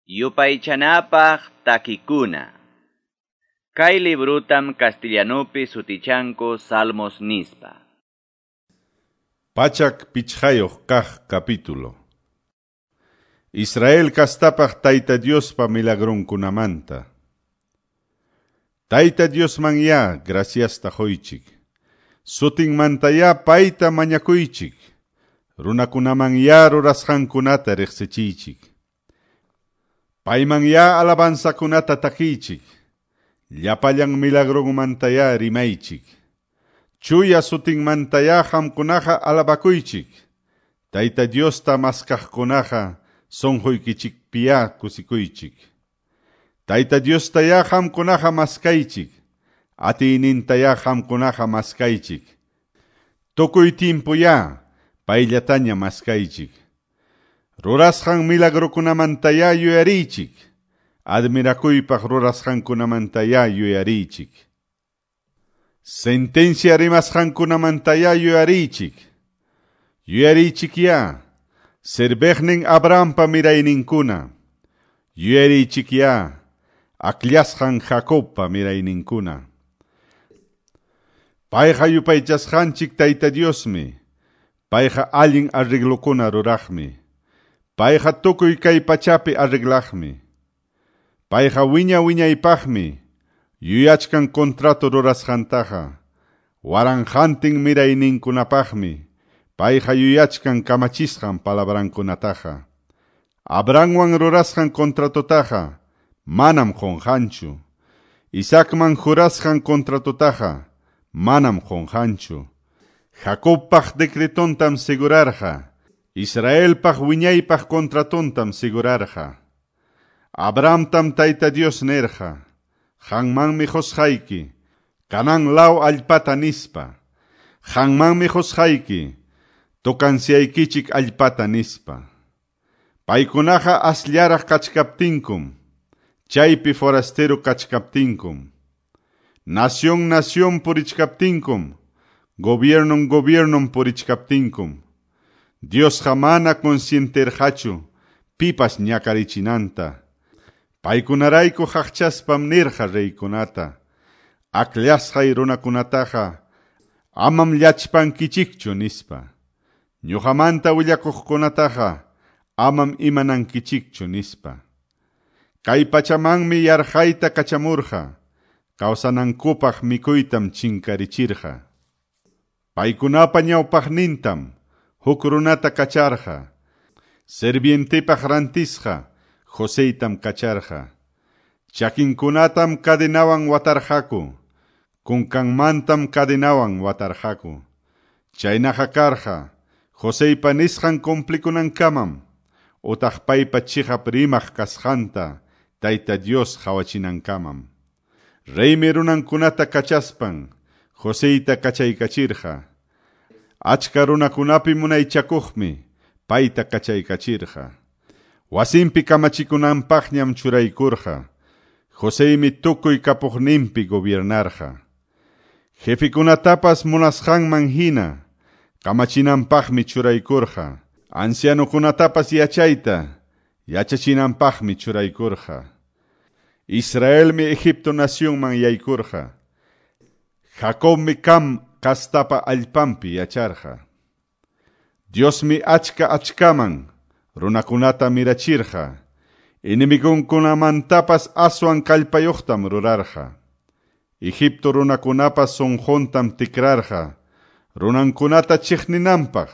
Yupaychanapaq takikuna. Kay librutam castellanupi sutichanku Salmos nispa. 105 kaq capítulo. Israel kastapaq Tayta Diospa milagronkunamanta. Tayta Diosman ya graciasta qoychik. Sutinmantayá payta mañakuychik. Runakunaman ya rurasqankunata riqsichiychik. Payman ya alabanzakunata takiychik. Llapallan milagronmantayá rimaychik. Chuya sutinmantayá qamkunaqa alabakuychik. Tayta Diosta maskaqkunaqa sunquykichikpiyá kusikuychik. Tayta Diostayá qamkunaqa maskaychik. Atiynintayá qamkunaqa maskaychik. Tukuy timpuyá payllataña maskaychik. Rurasqan milagrokunamantayá yuyariychik. Admirakuypaq rurasqankunamantayá yuyariychik. Sentencia rimasqankunamantayá yuyariychik. Yuyariychikyá, serviqnin Abrahampa mirayninkuna. Yuyariychikyá, akllasqan Jacobpa mirayninkuna. Payqa yupaychasqanchik Tayta Diosmi. Payqa allin arreglokuna ruraqmi. Payqa tukuy kay pachapi arreglaqmi. Payqa wiña wiñaypaqmi yuyachkan contrato rurasqantaqa. Waranqantin mirayninkunapaqmi payqa yuyachkan kamachisqan palabrankunataqa. Abrahamwan rurasqan contratotaqa manam qunqanchu. Isaacman jurasqan contratotaqa manam qunqanchu. Jacobpaq decretontam segurarqa. Israelpaq wiñaypaq contratontam segurarqa. Abrahamtam Tayta Dios nerqa. Qanmanmi qusqayki, Canaán law allpata nispa. Qanmanmi qusqayki, tukansiyaykichik allpata nispa. Paykunaqa asllaraq kachkaptinkum, chaypi forastero kachkaptinkum. Nación nación purichkaptinkum, gobiernon gobiernon purichkaptinkum. Diosqa mana consienterqachu pipas ñakarichinanta. Paykunarayku qaqchaspam nirqa reykunata. Akllashqay runakunataqa amam llachpankichikchu nispa. Ñuqamanta willakuqkunataqa amam imanankichikchu nispa. Kay pachamanmi yarqayta kachamurqa. Kawsanankupaq mikuytam chinkarichirqa. Paykunapa ñawpaqnintam huk runata kacharqa. Servientepaq rantisqa Joseytam kacharqa. Chakinkunatam cadenawan watarqaku. Kunkanmantam cadenawan watarqaku. Chaynaqa karqa Joseypa nisqan cumplikunankamam utaq paypa chiqap rimaq kasqanta Tayta Dios qhawachinankamam. Reymi runankunata kachaspan Joseyta kachaykachirqa. Achka runakunapi munaychakuqmi payta kachaykachirqa. Wasinpi kamachikunanpaqñam churaykurqa. Joseymi tukuy kapuqninpi gobiernarqa. Jefikunatapas munasqanman hina kamachinanpaqmi churaykurqa. Ancianokunatapas yachayta yachachinanpaqmi churaykurqa. Israelmi Egipto nacionman yaykurqa. Jacobmi Cam kastapa allpanpi yacharqa. Diosmi achka achkaman runakunata mirachirqa. Enemigonkunamantapas aswan kallpayuqtam rurarqa. Egipto runakunapas sunquntam tikrarqa. Runankunata chiqninanpaq.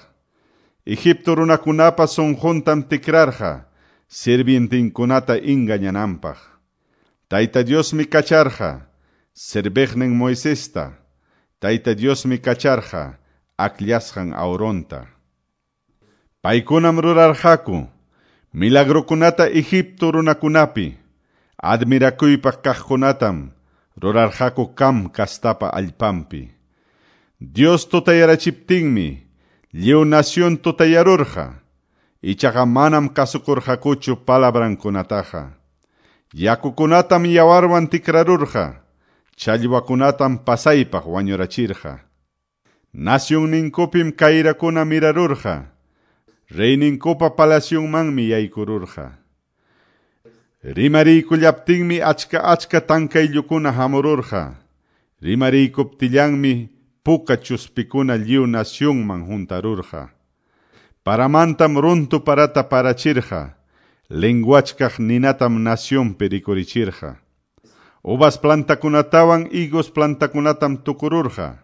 Egipto runakunapas sunquntam tikrarqa. Sirvientinkunata engañananpaq. Tayta Diosmi kacharqa serviqnin Moisesta. Tayta Diosmi kacharqa akllasqan Aaronta. Paykunam rurarqaku milagrokunata Egipto runakunapi, admirakuypaq kaqkunatam rurarqaku Cam kastapa allpanpi. Dios tutayarachiptinmi lliw nación tutayarurqa, ichaqa manam kasukurqakuchu palabrankunataqa. Yakukunatam yawarwan tikrarurqa, challwakunatam pasaypaq wañurachirqa. Nacionninkupim kayrakuna mirarurqa, reyninkupa palacionmanmi yaykururqa. Rimariykullaptinmi achka-achka tankayllukuna hamururqa. Rimariycuptillanmi puka chuspikuna lliw nacionman huntarurqa. Paramantam runtu parata parachirqa. Lenguachkaq ninatam nacionpi rikurichirqa. Uvas plantakunatawan higos plantakunatam tukururqa.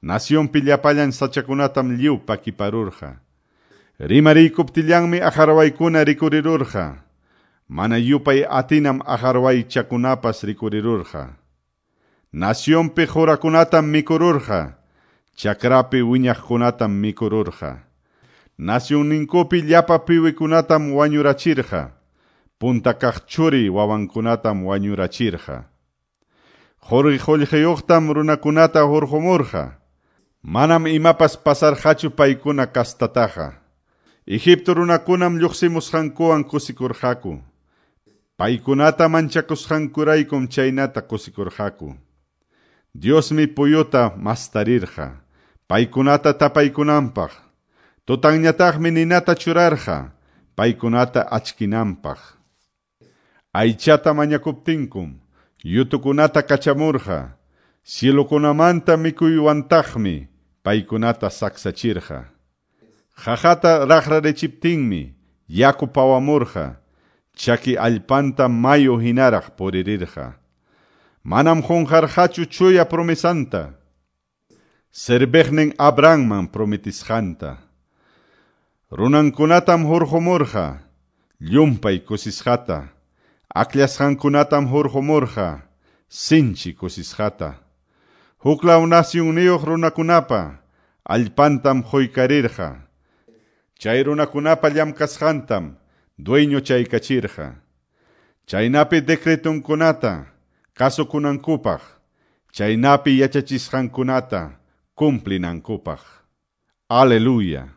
Nacionpi llapallan sachakunatam lliw pakiparurqa. Rimariykuptillanmi aqarwaykuna rikurirurqa. Mana yupay atinam aqarwaychakunapas rikurirurqa. Nacionpi qurakunatam mikururqa. Chakrapi wiñaqkunatam mikururqa. Nacionninkupi llapa piwikunatam wañurachirqa. Punta kaq churi wawankunatam wañurachirqa. Quri qullqiyuqtam runakunata hurqumurqa. Manam imapas pasarqachu paykuna kastataqa. Egipto runakunam lluqsimusqankuwan kusikurqaku. Paykunata manchakusqankuraykum chaynata kusikurqaku. Diosmi puyuta mastarirqa, paykunata tapaykunanpaq. Tutanñataqmi ninata churarqa, paykunata achkinanpaq. Aychata mañakuptinkum, yutukunata kachamurqa, cielokunamanta mikuywantaqmi paykunata saksachirqa. Qaqata raqrarichiptinmi yaku pawamurqa, chaki allpanta mayu hinaraq puririrqa. Manam qunqarqachu chuya promesanta, serviqnin Abrahamman prometisqanta. Runankunatam hurqumurqa, llumpay kusisqata. Akllashqankunatam hurqumurqa, sinchi kusisqata. Huklaw nacionniyuq runakunapa allpantam quykarirqa. Chay runakunapa llamkasqantam dueño chaykachirqa. Chaynapi decretunkunata kasukunankupaq, chaynapi yachachisqankunata cumplinankupaq. Aleluya.